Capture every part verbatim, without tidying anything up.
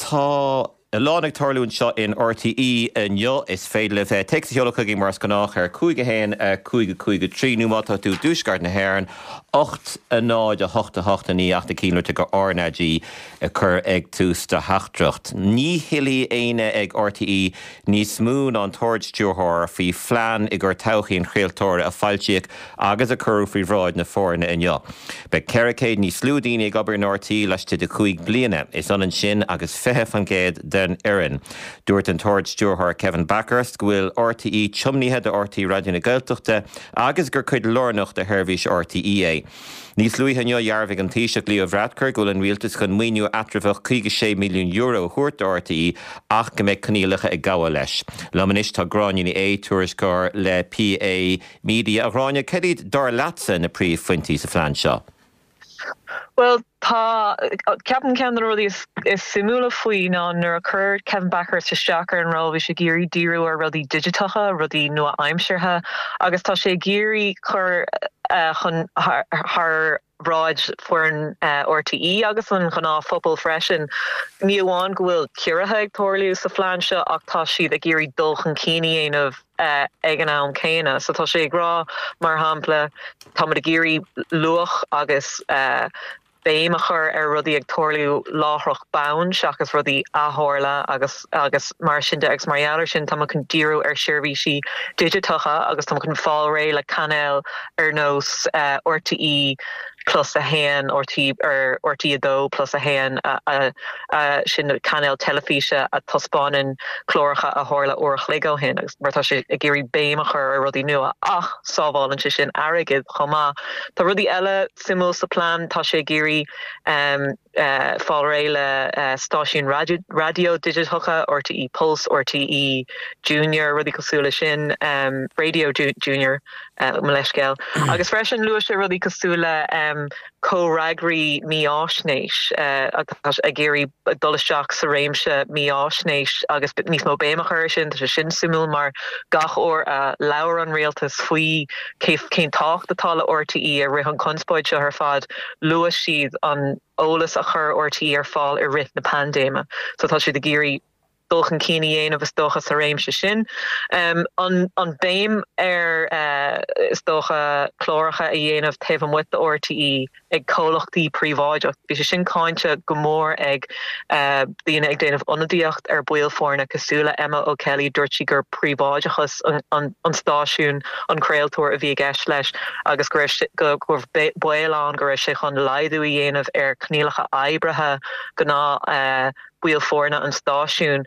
Tá a lán ag tarlú anseo in R T E inniu. Is féidir libh téacs a sheoladh chugainn mar is gnách ar cúig haon cúig cúig trí nó má tá tú i dtuaisceart na hÉireann ocht a náid a hocht a hocht a naoi ach cinnte go R N A G a chur ag tús do theachtaireacht. Ní thuillfidh éinne ag R T E níos mó ná an tArd-Stiúrthóir faoi phlean i gcomhair todhchaí an chraoltóra a foilsíodh agus a cuireadh faoi bhráid na foirne inniu. Beidh ceithre chéad níos lú daoine ag obair in R T E laistigh de chúig bliana, is ionann sin agus fiche faoin gcéad den fhoireann. Dúirt an tArd-Stiúrthóir Kevin Bakhurst go bhfuil R T E tiomnaithe do R T E Raidió na Gaeltachta agus gur cuid lárnach de sheirbhís R T E é. Níos luaithe inniu dhearbhaigh an Taoiseach Leo Varadkar go bhfuil an rialtas chun maoiniú eatramhach caoga sé milliún euro a thabhairt do R T E ach go mbeidh coinníollacha ag gabháil leis. Liom anois tá Gráinne Ní Aodha, tuairisceoir le P A Media. A Ghráinne, cad iad dar leatsa na príomhphointí sa phlean seo? Well, tá ceapaim ceann de na rudaí is, is suimiúla faoi ná nuair a chuir Kevin Bakhurst isteach ar an ról, bhí sé ag iarraidh díriú ar rudaí digiteacha, rudaí nua-aimseartha, agus tá sé ag iarraidh chur uh, chun thar bhráid foireann uh, R T E agus an gnáthphobal freisin. Ní amháin go bhfuil ciorruithe ag tarlú sa phlean seo, ach tá siad ag iarraidh dul chun cinn a dhéanamh uh, ag an am céanna. So tá sé ag rá, mar shampla, tá ag iarraidh luach agus uh, béim a chur ar rudaí ag tarlú láithreach bonn seachas rudaí a tharla agus agus mar sin de. Agus mar gheall sin tá chun díriú ar seirbhísí digiteacha agus tá chun fáil réidh le cainéil ar nós uh, R T E plus a haon, R T ar R T E dó plus a haon, sin cainéil teilifíse a thaispeánann cláracha a tharla uair an chloig ó shin, agus mar tá sé ag iarraidh béim a chur ar rudaí nua ach sábhálann sé sin airgead chomh maith. Tá rudaí eile suimiúil sa plean. Tá sé ag iarraidh um, uh, fáil réidh le uh, stáisiún raidió digiteacha, R T E Pulse, R T E Junior, rudaí cosúil le sin, um, Radio Junior, uh, leithscéal. Agus freisin luaigh sé rudaí cosúil le um, comhfhreagraí mífhaisnéis, uh, ag iarraidh dul isteach sa réimse mífhaisnéis agus níos mó béim a chur sin. Tá sé sin suimiúil mar gach uair a labhair an rialtas faoi cén tábhacht atá le R T E i rith an chonspóid seo ar fad, luaigh siad an eolas a chur R T E ar fáil i rith na paindéime. So tá siad ag iarraidh dul chun cinn a dhéanamh, is dócha, sa réimse sin. Um, an, an béim ar uh, is dócha cláracha a dhéanamh taobh amuigh de R T E ag comhlachtaí príobháideach. Bhí sé sin cáinte go mór ag uh, daoine ag déanamh ionadaíocht ar bhaill foirne cosúil le Emma O'Kelly. Dúirt sí gur príobháideachas an, an, an stáisiún, an craoltóir, a bhí i gceist leis agus go go baol ann go raibh sé chun laghdú a dhéanamh ar choinníollacha oibre gnáth uh, baill foirne an stáisiún,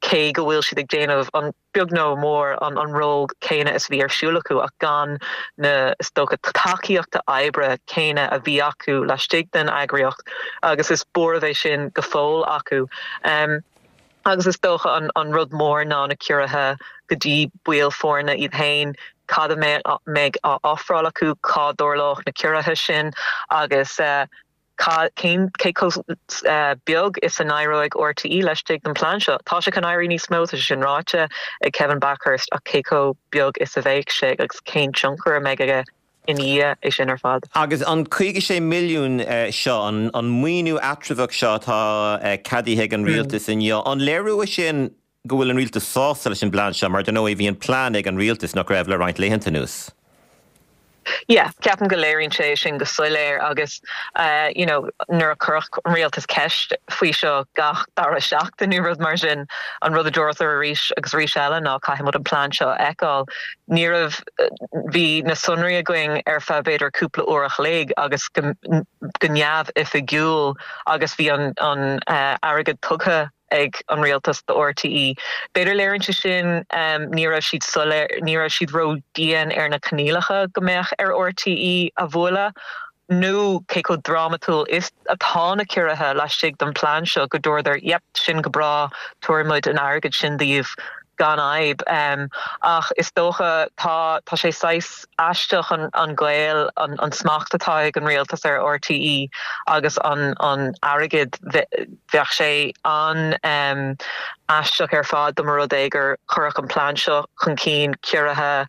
cé go bhfuil siad ag déanamh an beag nó mór an an ról céanna is bhí ar siúl acu ach gan na, is dócha, tacaíochta oibre céanna a bhí acu laistigh den eagraíocht, agus is buaireamh é sin go fóill acu. Um, agus is dócha an, an rud mór ná na ciorruithe go dtí baill foirne iad féin, cad a mbeidh á ofráil acu, cá dtarlóidh na ciorruithe sin agus uh, cén cé chomh uh, beag is a n-éireoidh R T E laistigh den plean seo. Tá sé chun éirí níos mó, sin ráite ag Kevin Bakhurst, ach cé chomh beag is a bheidh sé agus cén tionchar a mbeidh aige in dhiaidh é sin ar fad. Agus an caoga sé milliún uh, seo, an, an maoiniú eatramhach seo atá uh, ceadaithe ag an rialtas mm. inniu, an léiriú sin go bhfuil an rialtas sásta leis an bplean seo, mar nó bhí an plean ag an rialtas nach raibh le roinnt laethanta anuas? Yeah, ceapaim go léiríonn sé sin go soiléir agus uh, you know, nuair a cuireadh an rialtas ceist faoi seo gach dara seachtain nó rud mar sin, an rud a dúradar arís agus arís eile ná caithfimid an plean seo a fheiceáil. Ní raibh bhí na sonraí againn ar feadh b'fhéidir cúpla uair a chloig agus go, go neamhoifigiúil agus bhí an, an uh, airgead tugtha ag an rialtas do R T E. B'fhéidir léiríonn sé sin um, ní raibh siad soiléir, ní raibh siad ró-dhian ar na coinníollacha go mbeadh ar R T E a bhualadh nó cé chomh drámatúil is atá na ciorruithe laistigh den plean seo go dúradar, "Yep, sin go breá, tabharfaimid an airgead sin daoibh gan fhadhb." um, ach is dócha tá tá sé saghas aisteach an, an gaol, an, an smacht atá ag an rialtas ar R T E agus an an airgead. Bheadh sé an um, aisteach ar fad dá mba rud é gur cuireadh an plean seo chun cinn, ciorruithe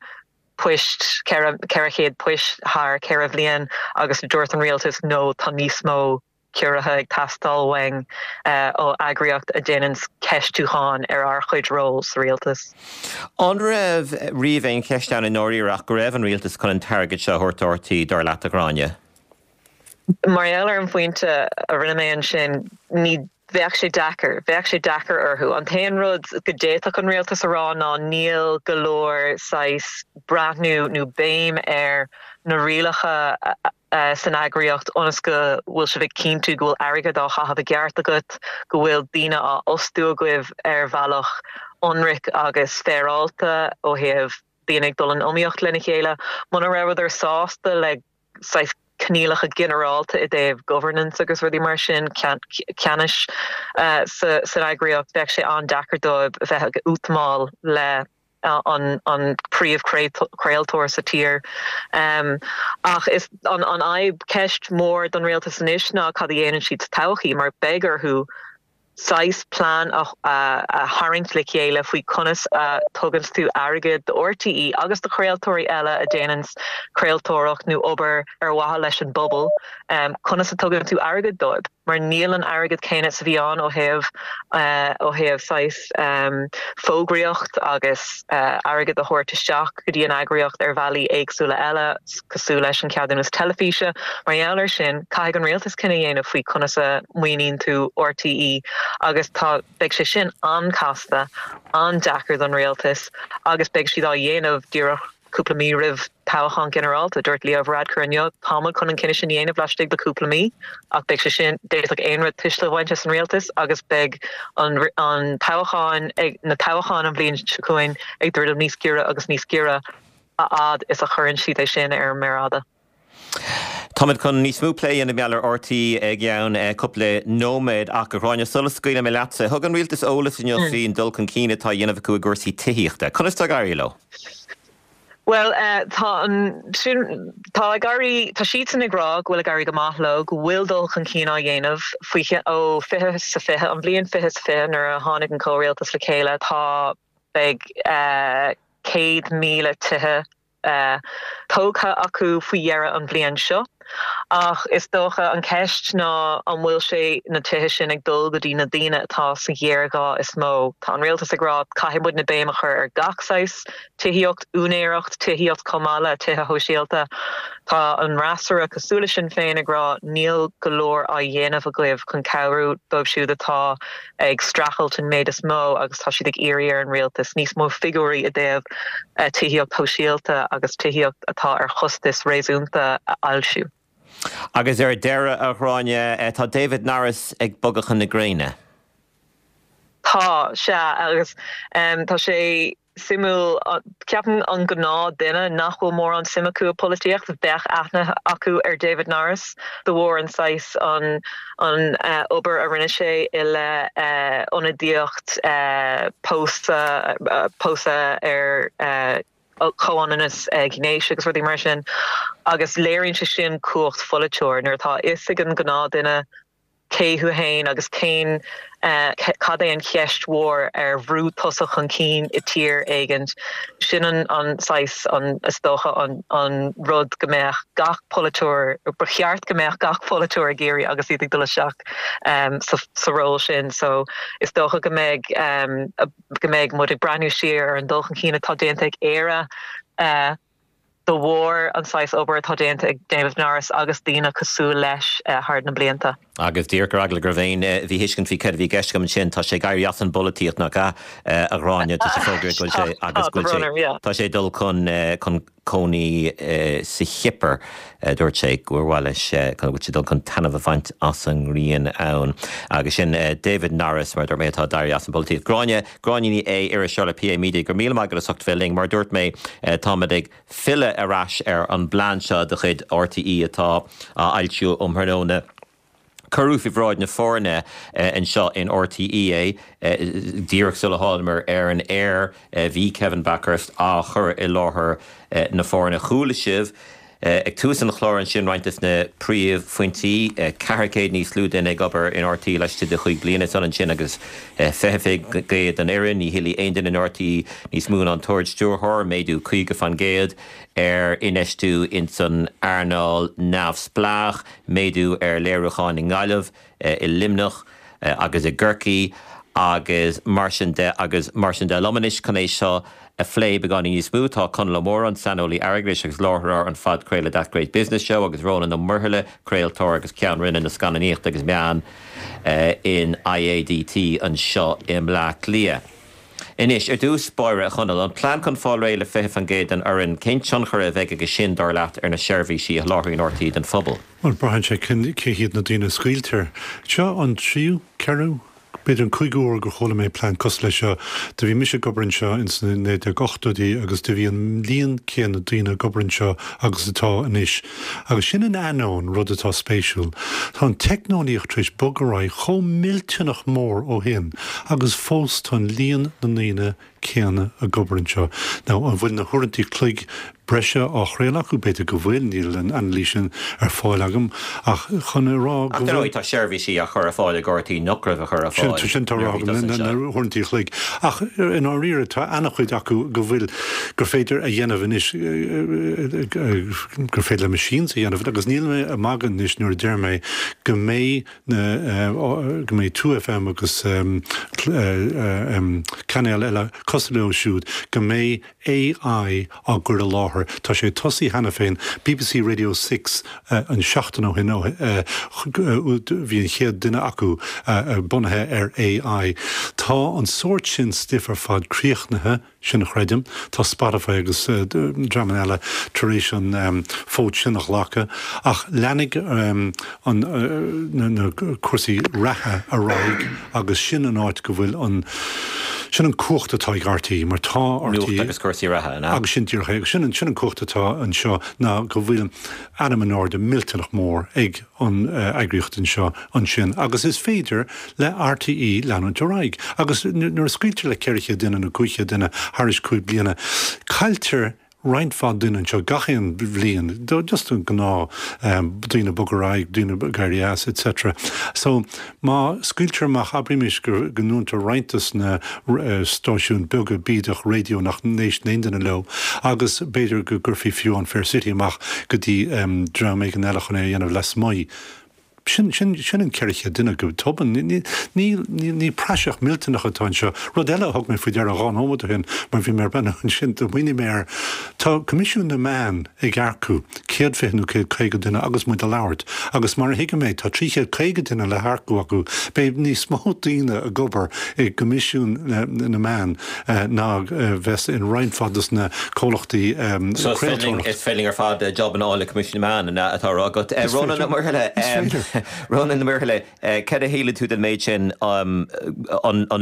poist, ceithre chéad poist thar ceithre bhliain, agus dúirt an rialtas, "No, tá níos mó ciorruithe ag teastáil uainn ó eagraíocht a dhéanann ceistiúchán ar ár chuid ról sa rialtas. An raibh riamh aon cheist ann i ndáiríre ach go raibh an rialtas chun an t-airgead seo a thabhairt do RTÉ dar leat a Ghráinne? Mar gheall ar an phointe a rinne mé ansin ní bheadh sé deacair, bheadh sé deacair orthu. An t-aon rud go d'fhéadfadh an rialtas a rá ná níl go leor saghas breathnú nó béim ar na rialacha san eagraíocht ionas go bhfuil sibh ag cinntiú go bhfuil airgead á chaitheamh i gceart agat, go bhfuil daoine á fhostú agaibh ar bhealach ionraic agus féaráilte ó thaobh daoine ag dul in iomaíocht lena chéile. Muna rabhadar sásta le saghas coinníollacha ginearálta i dtaobh governance agus rudaí mar sin ceannais san eagraíocht, bheadh sé an-deacair dóibh a bheith ag útamáil le an an príomhchraoltóir sa tír. Um, ach is an an fhadhb ceist mór don rialtas anois ná cad a dhéanann siad sa todhchaí mar beidh orthu saghas plean a, a, a tharraingt le chéile faoi conas a tugann tú airgead do RTÉ agus do chraoltóirí eile a déanann craoltóireacht nó obair ar mhaithe leis an bpobal, um, conas a tugann tú airgead dóibh. Mar níl an airgead céanna is a bhí ann ó thaobh uh, ó thaobh saghas um, fógraíocht agus uh, airgead a thabhairt isteach go dtí an eagraíocht ar bhealaí éagsúla eile cosúil leis an ceadúnas teilifíse, mar gheall air sin caithfidh an rialtas cinneadh a dhéanamh faoi conas a maoiníonn tú RTÉ agus tá beidh sé sin an-chasta an-deacair don rialtas agus beidh siad á dhéanamh díreach cúpla mí roimh toghchán ginearálta dúirt Leo Varadkar inniu táimid chun an cinneadh sin a dhéanamh laistigh de cúpla mí ach beidh sé sin d'fhéadfadh aon rud tuisle a bhaint as an rialtas agus beidh an an toghchán ag na toghcháin an bhliain seo chugainn ag druidim níos giorra agus níos giorra a fhad is a chuireann siad é sin ar an méar fhada. Táimid chun níos mó plé a dhéanamh ar RTÉ i gceann cúpla nóiméad ach a Ghráinne sula scaoilim leatsa. Thug an rialtas eolas inniu faoin dul chun cinn atá á dhéanamh acu i gcúrsaí tithíochta. Conas tá ag éirí leo? Well uh, tá an sin tá ag éirí tá siadsan ag rá go bhfuil ag éirí go maith leo go bhfuil dul chun cinn á dhéanamh faoi ó fiche sa fiche an bhliain fiche sa fiche nuair a tháinig an comhrialtas le chéile tá beidh uh, céad míle tithe uh, tógtha acu faoi dheireadh an bhliain seo. Ach is dócha an ceist ná an bhfuil sé na tithe sin ag dul go dtí na daoine atá sa ghéarghá is mó. Tá an rialtas ag rá caithfidh muid na béim a chur ar gach saghas tithíocht úinéireacht tithíocht chomh maith le tithe shóisialta. Tá an fhreasúra cosúil Sinn Féin ag rá níl go leor á dhéanamh agaibh chun cabhrú dóibh siúd atá ag streachailt an méid is mó agus tá siad ag iarraidh ar an rialtas níos mó figiúirí i dtaobh eh, tithíocht shóisialta agus tithíocht atá ar chostas réasúnta a fhoilsiú. Agus ar deireadh a Ghráinne eh, tá David Norris ag bogadh chun na gréine. Tá sé agus um, tá sé suimiúil ceapaim an gnáthduine nach bhfuil mórán suim acu i bpolaitíocht bheadh aithne acu ar David Norris de bharr an saghas an an uh, obair a rinne sé i le uh, ionadaíocht uh, pósadh uh, pósadh ar uh, comhionannas uh, gnéis agus rudaí mar sin agus léiríonn sé sin cumhacht pholaiteoir nuair atá fhios ag an gnáthduine cé thú féin agus cén uh, cad é an cheist mhór ar bhrú tusa chun cinn i tír éigin sin an an saghas an is dócha an an rud go mbeadh gach polaiteoir ba cheart go mbeadh gach polaiteoir ag iarraidh agus iad ag dul isteach um, sa, sa ról sin so is dócha go mbeidh um, go mbeidh muid ag breathnú siar ar an dul chun cinn atá déanta ag Éire uh, de bharr an saghas obair atá déanta ag David Norris agus daoine cosúil leis uh, thar na blianta. Agus díreach ar eagla go raibh aon mhíthuiscint faoi céard a bhí i gceist agam sin tá sé ag éirí as an bpolaitíocht nach ea a Ghráinne tá sé fógra go sé agus go sé tá sé dul chun chun cónaí sa Chipir dúirt sé gur mhaith leis go bhfuil sé dul chun taitneamh a bhaint as an ngrian ann. Agus sin David Norris mar dúirt mé atá ag éirí as an bpolaitíocht. Gráinne Gráinne Ní Aodha iriseoir le PA Media go míle maith agat as ucht bheith linn mar dúirt mé táimid ag filleadh ar ais ar an bplean seo de chuid RTÉ atá á fhoilsiú um thráthnóna. Cuireadh faoi bhráid na foirne anseo in RTÉ díreach sula thángamar ar an aer bhí Kevin Bakhurst á chur i láthair na foirne chuala sibh Ag tús an chláir ansin roinnt des na príomhphointí, ceathair chéad níos lú duine ag obair in RTÉ laistigh de chúig bliana, is ionann sin agus fiche faoin gcéad den fhoireann, ní thuillfidh aon duine in RTÉ níos mó ná an tArd-Stiúrthóir, méadú caoga faoin gcéad ar infheistiú ins an earnáil neamhspleách, méadú ar léiriúcháin i nGaillimh, i Luimneach agus i gCorcaigh agus mar sin de agus mar sin de. Liom anois chun é seo a phlé beagáinín níos mó tá Conall Ó Móráin, saineolaí airgeadais agus láithreoir an phodchraoladh That Great Business Show agus Rónán Ó Muirthile, craoltóir agus Ceann Roinne na Scannánaíochta agus Meán in IADT anseo i mBleá Cliath. Anois, ar dtús báire, a Chonaill, an plean chun fáil réidh le fiche faoin gcéad den fhoireann, cén tionchar a bheidh aige sin, dar leat, ar na seirbhísí a sholáthraíonn RTÉ don phobal? Bhuel, braitheann sé cé hiad na daoine a scaoiltear. Seo an tríú, ceathrú, b'fhéidir an cúigiú huair gur chuala mé plean cosúil leis seo. Do bhí mise ag obair anseo ins na naoi déag ochtóidí agus do bhí an líon céanna daoine ag obair anseo agus atá anois. Agus sin in ainneoin rud atá spéisiúil. Tá an teicneolaíocht tar éis bogadh ar aghaidh chomh millteanach mór ó shin agus fós tá an líon na ndaoine céanna ag obair anseo. Now, an bhfuil na huaireanta cloig breise á chraoladh acu? B'fhéidir go bhfuil, níl an anailís sin ar fáil agam, ach chun a rá go bhfuil. Ach dar ndóigh tá seirbhísí á chur ar fáil ag RTÉ nach raibh á chur ar fáil. Sin tá rá agam, na huaireanta chloig. Ach i ndáiríre tá an-chuid acu go bhfuil, gur féidir a dhéanamh anois, gur féidir le machines a dhéanamh agus níl mé ag magadh anois nuair a deir mé go mbeidh na, go mbeidh Two FM agus cainéil eile cosúil leo siúd, go mbeidh AI á gcur i láthair. Tá sé tosaithe cheana féin. BBC Radio Six an seachtain ó shin bhí an chéad duine acu bunaithe ar AI. Tá an sórt sin stuif ar fad críochnaithe, sin a chreidim. Tá Spotify agus dreamanna eile tar éis an fód sin a ghlacadh. Ach leanfaidh na cúrsaí reatha ar aghaidh agus sin an áit go bhfuil an, sin an cumhacht atá ag RTÉ mar tá RTÉ. Nuacht agus cúrsaí reatha, an ea? Agus sin díreach é. Agus sin an cumhacht atá anseo ná go bhfuil ainm in airde millteanach mór ag an eagraíocht anseo ansin agus is féidir le RTÉ leanúint ar aghaidh. Agus nuair a scaoiltear le ceithre chéad duine nó cúig chéad duine thairis cúig bliana, cailltear roinnt mhaith duine anseo gach aon bhliain, just an gnáth daoine ag bogadh ar aghaidh, daoine ag éirí as, etc. So má scaoiltear amach, abraimis go ndúntar roinnt des na stáisiúin beaga bídeach raidió nach n-éisteann aon duine leo agus b'fhéidir go gcuirfí fiú an Fair City amach go dtí dream éigin eile chun é a dhéanamh lasmuigh. Sin, sin, sin an ceithre chéad duine go tobann. Ní, ní, ní, ní praiseach millteanach atá anseo. Rud eile a thug mé faoi deara dhá nóiméad ó shin, mar bhí mé ar breathnú ansin, do smaoinigh mé air, tá Coimisiún na Meán ag earcú céad fiche nó céad caoga duine agus muid ag labhairt, agus mar a thuigim é, tá trí chéad caoga duine le hearcú acu. Beidh níos mó daoine ag obair i gCoimisiún na Meán ná a bheas in roinnt mhaith dos na comhlachtaí craoltóireachta. Is féidir linn ar fad job a fháil le Coimisiún na Meán, atá á rá agat. Rónán Ó Muirthile, Rónán Ó Muirthile, cad a shíleann tú den méid sin, an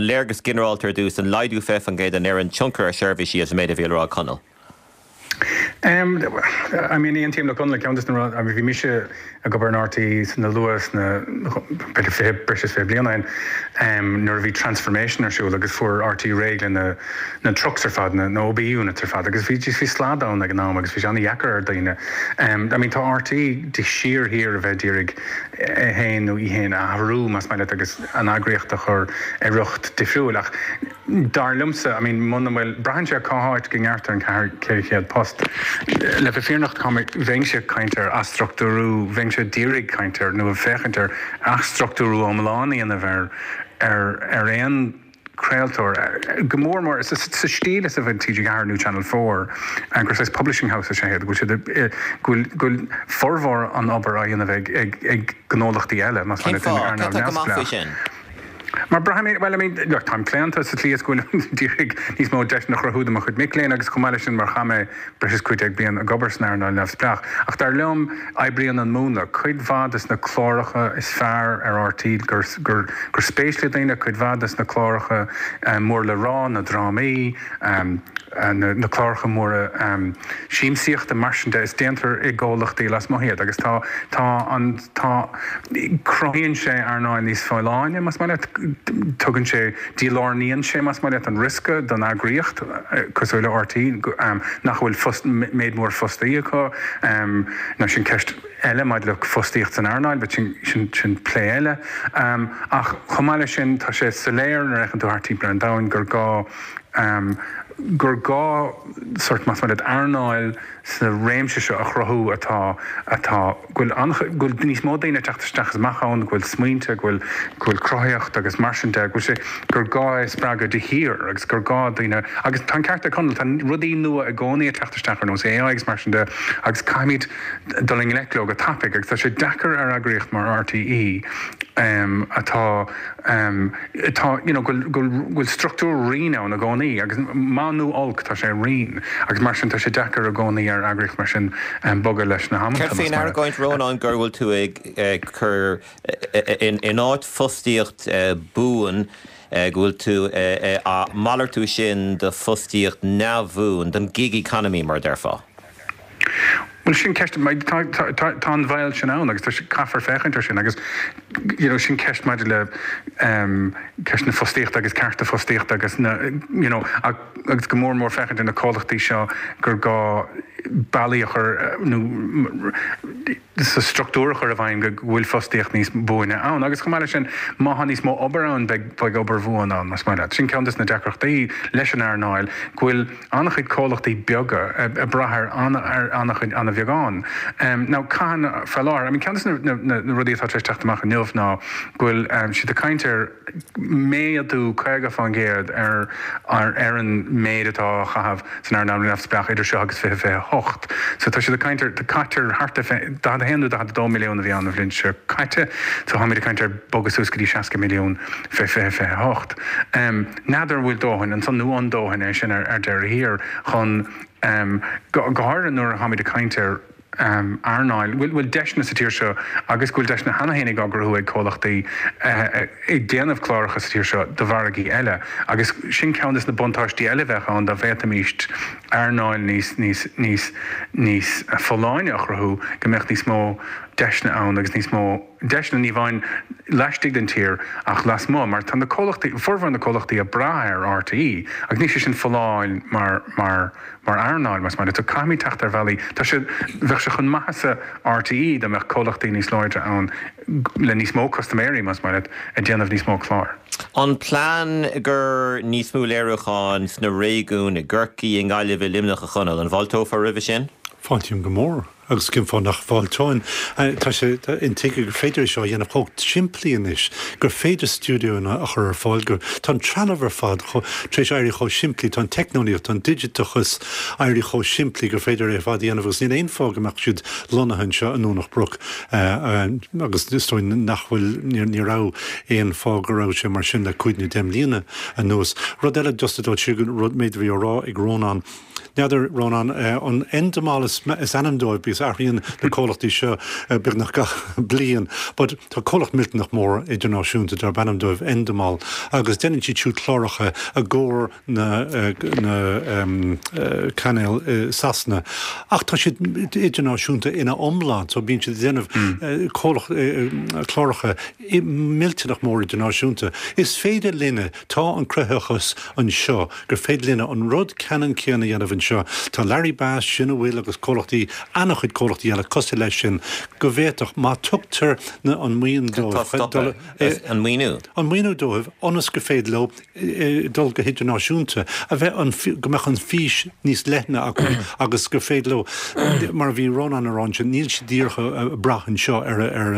léargas ginearálta ar dtús, an laghdú fiche faoin gcéad den fhoireann, tionchar ar sheirbhísí as an méid a bhí le rá ag Conall? I mean, aontaím le Conall, ceann de na rudaí, I mean, bhí mise ag obair in RTÉ sna luath sna, b'fhéidir fiche, breis is fiche bliain ó shin, nuair a bhí transformation ar siúl agus fuair RTÉ réidh le na, na trucks ar fad, na, na OB units ar fad agus bhí, bhí slad ann ag an am agus bhí sé an-dheacair ar dhaoine. I mean, tá RTÉ de shíor shíor a bheith ag iarraidh é féin nó í féin a athrú, más maith leat, agus an eagraíocht a chur ar riocht difriúil ach dar liomsa, I mean, muna bhfuil, braitheann sé cá háit go ngearrtar an ceathair, ceithre chéad post. Le bheith fírinneach, tá mé, bheinnse ag caint ar athstruchtúrú, bheinnse ag iarraidh caint ar, nó ag féachaint ar athstruchtúrú iomlán a dhéanamh ar, ar, ar aon craoltóir, go mór mór sa stíl is a bhfuil TG Ceathair nó Channel Four, gur saghas publishing house is ea iad, go bhfuil siad, go bhfuil, go bhfuil formhór an obair á dhéanamh ag, ag, ag gnólachtaí eile, más Cén maith leat, in fáth? Cad earnáil tá go maith faoi neamhspleách. sin? Mar braithim, bhuel, I mean, look, táim claonta sa tslí is go bhfuilim ag iarraidh níos mó deiseanna a chruthú do mo chuid mic léinn agus chomh maith leis sin mar chaith mé breis is cúig déag bliain ag obair san earnáil neamhspleách. Ach dar liom, oibríonn an múnla. Cuid mhaith des na cláracha is fearr ar RTÉ gur, gur, gur spéis le daoine, cuid mhaith des na cláracha mór le rá, na drámaí, na, na cláracha móra siamsaíochta, mar sin de, is déantar i gcomhlachtaí lasmuigh iad agus tá, tá an, tá, cruthaíonn sé earnáil níos folláine, más maith leat, Tugann sé, dílárnaíonn sé, más maith leat, an riosca don eagraíocht cosúil le R T É nach bhfuil fost, méid mór fostaí acu. Now sin ceist eile maidir le fostaíocht san earnáil, but sin, sin, sin plé eile. Ach chomh maith leis sin, tá sé soiléir nuair a fhéachann tú thart timpeall ar an domhan gur gá gur gá sort, más maith leat, earnáil sa réimse seo a chruthú atá atá go bhfuil an go bhfuil níos mó daoine ag teacht isteach is amach ann, go bhfuil smaointe, go bhfuil go bhfuil cruthaitheacht agus mar sin de, go bhfuil sé gur gá é a spreagadh de shíor agus gur gá daoine agus tá an ceart ag Conall, tá rudaí nua i gcónaí ag teacht isteach ar nós A I agus mar sin de agus caithfimid dul i ngleic leo go tapaidh agus tá sé deacair ar eagraíocht mar R T É um, atá um, atá you know, go go bhfuil struchtúr righin ann i gcónaí agus maith nó olc tá sé righin agus mar sin tá sé deacair i gcónaí ar eagraíocht mar sin um, bogadh leis na hamanta. Céard faoin argóint, Rónán, gur bhfuil tú ag ag cur in in áit fostaíocht buan go bhfuil tú á malartú sin do fostaíocht neamhbhuan, don gig economy mar déarfá? Well sin ceist, tá an bhaol sin ann agus caithfear féachaint air sin agus you know, sin ceist maidir le um, ceist na fostaíochta agus cearta fostaíochta agus na, you know, agus go mór mór féachaint ar na comhlachtaí seo gur gá bealaí a chur nó sa struchtúr a chur i bhfeidhm go bhfuil fostaíocht níos buaine ann. Agus chomh maith leis sin, má tá níos mó obair ann beidh beidh obair bhuan ann más maith leat. Sin ceann de na deacrachtaí leis an earnáil go bhfuil an-chuid comhlachtaí beaga ag brath ar ar an-chuid an-bheagán. Um, now caitheann faoi láthair, I mean, ceann de na, na, na rudaí atá tar éis teacht amach inniu ná go bhfuil um, siad ag caint ar méadú caoga faoin gcéad ar, ar, ar an méid atá á chaitheamh san earnáil neamhspleách idir seo agus fiche fiche hocht. So tá siad ag caint ar caitear thart ar daichead a haon nó daichead a dó milliún a bhí ann an bhliain seo caite, so táimid ag caint ar bogadh suas go dtí seasca milliún fé fiche fiche hocht. Um, N'fheadar an bhfuil dóthain ansan nó an dóthain é sin ar, ar deireadh thiar chun um, go, go háirithe nuair a tháimid ag caint ar um, earnáil, bhfuil bhfuil deiseanna sa tír seo agus go bhfuil deiseanna cheana féin á gcruthú ag comhlachtaí uh, ag déanamh cláracha sa tír seo do mhargaí eile. Agus sin ceann de na buntáistí eile bheadh ann dá bhféadfaimis earnáil níos níos níos níos folláine a chruthú go mbeadh níos mó deiseanna ann agus níos mó deiseanna ní amháin laistigh den tír ach lasmuigh, mar tá na comhlachtaí formhór na comhlachtaí ag brath ar R T É agus níl sé sin folláin mar mar mar earnáil más maith. So caithfimid teacht ar bhealaí tá sé bheadh sé chun maitheasa R T É dá mbeadh comhlachtaí níos láidre ann le níos mó custaiméirí más maith ag déanamh níos mó clár. An plean gur níos mó léiriúcháin sna réigiúin i gCorcaigh, i nGaillimh, i Luimneach, a Chonaill, an bhfáilteofá roimhe sin? Fáiltím go mór agus cén fáth nach bhfáilteoinn. Tá sé intuigthe gur féidir seo a dhéanamh chomh simplí anois, gur féidir stiúideonna a chur ar fáil, gur tá an trealamh ar fad tar éis éirí chomh simplí, tá an teicneolaíocht, an digiteachas éirí chomh simplí gur féidir é fad a dhéanamh agus níl aon fáth go mbeadh siad lonnaithe anseo i nDomhnach Broc agus is dóigh nach bhfuil ní raibh aon fáth go raibh sé mar sin le cúig nó deich mbliana anuas. Rud eile just dó si rud méid bhí á rá ag Rónán. N'fheadar, Rónán, an Endemol is ainm dóibh because athraíonn na comhlachtaí seo beagnach gach bliain, but tá comhlacht millteanach mór idirnáisiúnta darb ainm dóibh Endemol agus déanann siad siúd cláracha i gcomhair na na um, cainéil Sasana. Ach tá siad idirnáisiúnta ina iomlán, so bíonn siad déanamh mm. cláracha millteanach mór idirnáisiúnta. Is féidir linne tá an cruthaitheachas anseo gur féidir linne an rud ceannann céanna a dhéanamh anseo. Tá Larry Bass sin a bhfuil agus comhlachtaí an-chuid comhlachtaí eile cosúil leis sin go bhféadfadh má tugtar na an maoin dóibh an maoiniú. An maoiniú dóibh ionas go féidir leo dul go hidirnáisiúnta a bheith an go mbeadh an fís níos leithne acu agus go féidir leo mar bhí Rónán ag rá sin níl siad díreach ag brath anseo ar ar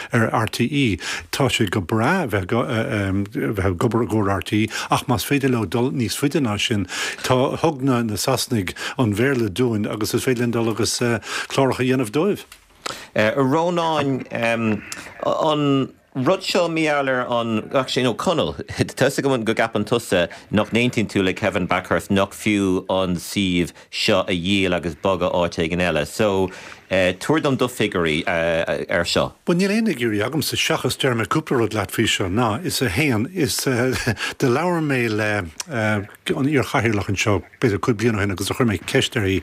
ar R T É. Tá sé go breá bheith bheith ag obair i gcomhair R T É ach más féidir leo dul níos faide ná sin tá thug na na Sasanaigh an Béarla dúinn agus is féidir linn dul agus uh, cláracha a dhéanamh dóibh. Uh, Rónán um, an rud seo míall ar an sé nó Conall Tá go go gceapann tusa nach n-aontaíonn tú le Kevin Bakhurst nach fiú an suíomh seo a dhíol agus bogadh áit éigin eile. So Tabhair dom do figiúirí ar seo. Bhuel níl aon fhigiúirí agamsa seachas déarfaidh mé cúpla rud leat faoi seo ná is a haon is do labhair mé le an iar-chathaoirleach anseo b'fhéidir cúig bliana ó shin agus do chuir mé ceist uirthi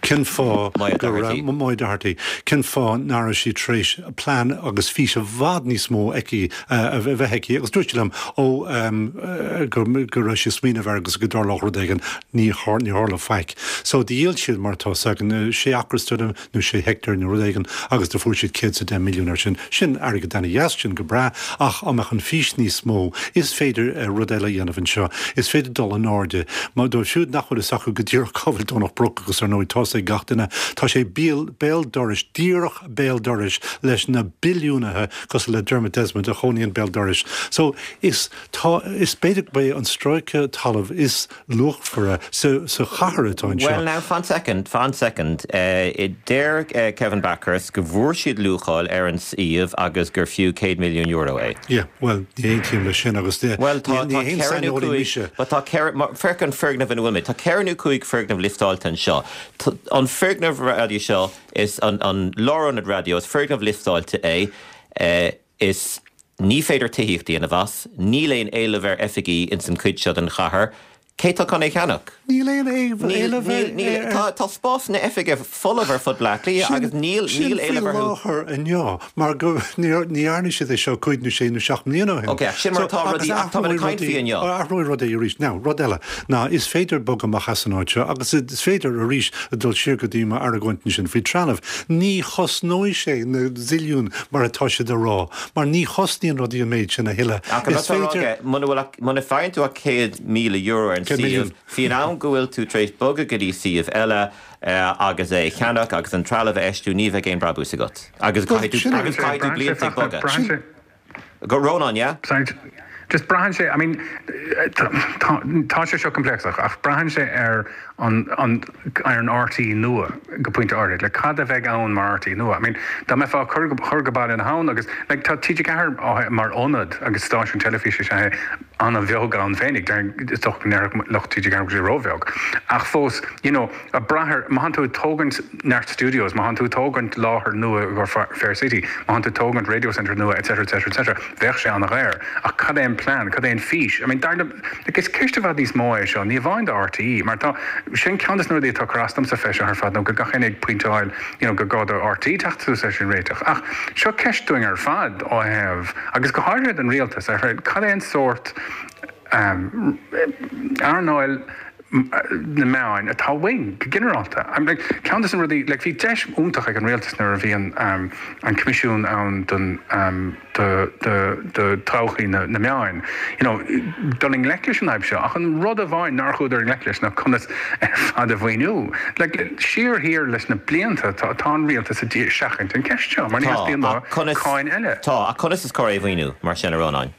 cén fáth go raibh Moya Doherty cén fáth nach raibh sí tar éis plean agus fís i bhfad níos mó aici a bheith aici agus dúirt sí liom ó go go raibh sí ag smaoineamh air agus go dtarlódh rud éigin ní tharla faic. So do dhíol siad mar atá 's againn sé acra nó sé heicteár nó rud éigin agus do fuair siad céad 's a deich milliún ar sin. Sin airgead ana-dheas, sin go breá, ach dá mbeadh an fís níos mó, is féidir rud eile a dhéanamh anseo. Is féidir dul in airde. Má dóibh siúd nach bhfuil fhios acu go díreach cá bhfuil Domhnach Broc agus ar ndóigh tá's ag gach duine, tá sé béal dorais, díreach béal dorais leis na billiúnaithe cosúil le Dermot Desmond a chónaíonn béal dorais. So is tá, is b'fhéidir gurb é an stráice talaimh is luachmhaire sa sa chathair atá anseo. Well now, fan soicind, fan soicind. Deir Kevin Bakhurst go bhfuair siad luacháil ar an suíomh agus gur fiú céad milliún euro é. Yeah, well, ní aontaím leis sin agus ní Well, tá ní tá haon ceithre nó saineolaí cúig, mise. but tá ceithre, mar, féach an foirgneamh ina bhfuil mé, tá ceithre nó cúig foirgneamh lioftáilte anseo. T- An foirgneamh raidió seo is an, an lárionad raidió, is foirgneamh lioftáilte é, eh, is ní féidir tithíocht a dhéanamh as, níl aon éileamh ar oifigí ins an chuid seo den chathair. Cé tá chun é cheannach? Níl aon Níl, éileamh níl, níl, ar tá, tá spásanna oifige folamh ar fud Bhaile Átha Cliath agus níl, Sin níl faoi éileamh orthu. láthair inniu mar go ní ní dhearna siad é seo cúig nó sé nó seacht mbliana ó shin. Ok, sin mar So, atá agus rudaí, ach tá mé ag athróidh caint faoi rudaí- inniu. athróidh rudaí arís. Now, rud eile, ná is féidir bogadh amach as an áit seo agus is féidir arís a dul siar go dtí m'argóint sin faoi trealamh. Ní chosnóidh sé na zilliún mar atá siad a rá, mar ní chosnaíonn rudaí an méid sin a thuilleadh. Ach an Is rud atá féidir ráite, muna bhfuil ach- muna faigheann tú ach céad míle euro ar an Céad suíomh, milliún. faoin am go bhfuil tú tar éis bogadh go dtí suíomh eile eh, agus é a cheannach agus an trealamh a fheistiú ní bheidh aon brabús agat. Agus Well, caithfidh tú sin é- agus caithfidh tú Braitheann sé blianta ag feachtas, bogadh. braitheann sé Go Rónán, yeah? Sorry, just braitheann sé, I mean, tá tá- tá sé seo complex-ach, ach braitheann sé ar an, an, ar an RTÉ nua go pointe áirithe, le cad a bheidh ann mar RTÉ nua. I mean, dá mbeifeá ag cur go chur go Baile na hAbhann agus like, tá TG Ceathair á- mar ionad agus stáisiún teilifíse sé an-bheag ann féinig, is dócha go ndéarfadh lucht TG Ceathair go bhfuil sé róbheag. Ach fós, you know, a braitheann, má tá tú ag tógaint neart studios, má tá tú ag tógaint láthair nua go Fair City, má tá tú ag tógaint Radio Centre nua, etc, etc, etc, bheadh sé an-dhaor. Ach cad é an plean, cad é an fís? I mean, dar liom, like, is ceist i bhfad níos mó é seo, ní amháin do RTÉ, mar tá sin ceann de na rudaí atá ag cur as domsa fé seo ar fad nó go gach éinne ag pointeáil, you know, go gá do RTÉ teacht suas leis an réiteach. Ach seo ceist dúinn ar fad ó thaobh, agus go háirithe don rialtas ar cad é an sórt um, earnáil na meáin atá uainn go ginearálta. I'm like, ceann de na rudaí like, bhí deis iontach ag an rialtas nuair a bhí an, um, an coimisiún ann don um, do, do, do todhchaí na, na meáin. You know, dul i ngleic leis an fhadhb seo ach an rud amháin nár chuadar i ngleic leis ná conas ar fad a mhaoiniú. Like, siar thiar leis na blianta tá, tá an rialtas ag seachaint an ceist seo, mar ní Tá, theastaíonn ach conas- cáin eile. Tá, ach conas is cóir é a mhaoiniú mar sin a Rónáin.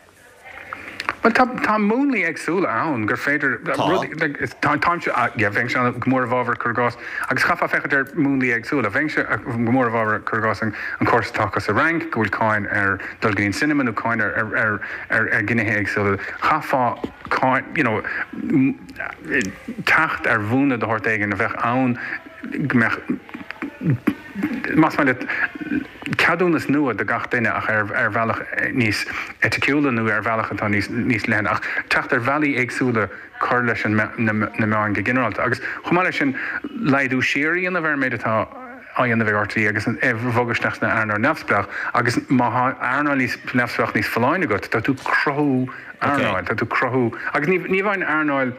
Well tá tá múnlaí éagsúla ann gur féidir Tá. rudaí- like, is- tá táimse ah, yeah, bheinnse go mór i bhfabhar cur i gcás agus chaithfeá féachaint ar múnlaí éagsúla bheinnse go mór i bhfabhar cur i gcás an, an córas atá sa Fhrainc go bhfuil cáin ar dul go dtí an cinema nó cáin ar ar ar ar, ar ghnéithe éagsúla chaithfeá cáin you know, m- teacht ar mhúnla de shórt éigin a bheadh ann go mbeadh más maith leat ceadúnas nua do gach duine ach ar ar bhealach níos eiticiúla nó ar bhealach atá níos níos leithne ach teacht ar bhealaí éagsúla cur leis an me- na, na meáin go ginearálta agus chomh maith leis sin laghdú siar a dhéanamh ar an méid atá á dhéanamh ag RTÉ agus an bogadh isteach sna earnáil neamhspleách agus má tá earnáil níos neamhspleách níos folláine agat tá tú ag cruthú earnáil tá tú ag cruthú agus ní ní amháin earnáil